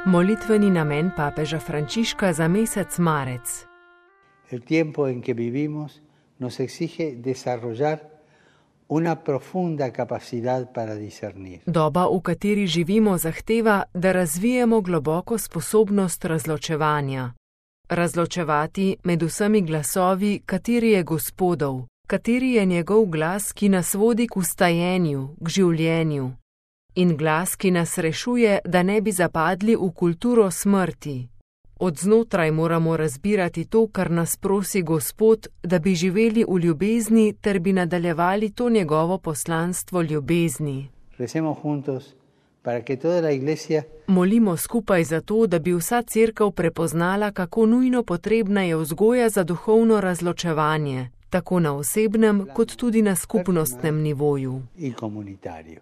Molitveni namen papeža Frančiška za mesec marec. El tiempo en que vivimos nos exige desarrollar una profunda capacidad para discernir. Doba, v kateri živimo, zahteva, da razvijemo globoko sposobnost razločevanja. Razločevati med vsemi glasovi, kateri je Gospodov, kateri je njegov glas, ki nas vodi k vstajenju, k življenju. In glas, ki nas rešuje, da ne bi zapadli v kulturo smrti. Od znotraj moramo razbirati to, kar nas prosi Gospod, da bi živeli v ljubezni ter bi nadaljevali to njegovo poslanstvo ljubezni. Recemos juntos para que toda la iglesia Molimo skupaj za to, da bi vsa cerkev prepoznala, kako nujno potrebna je vzgoja za duhovno razločevanje, tako na osebnem kot tudi na skupnostnem nivoju. y comunitario.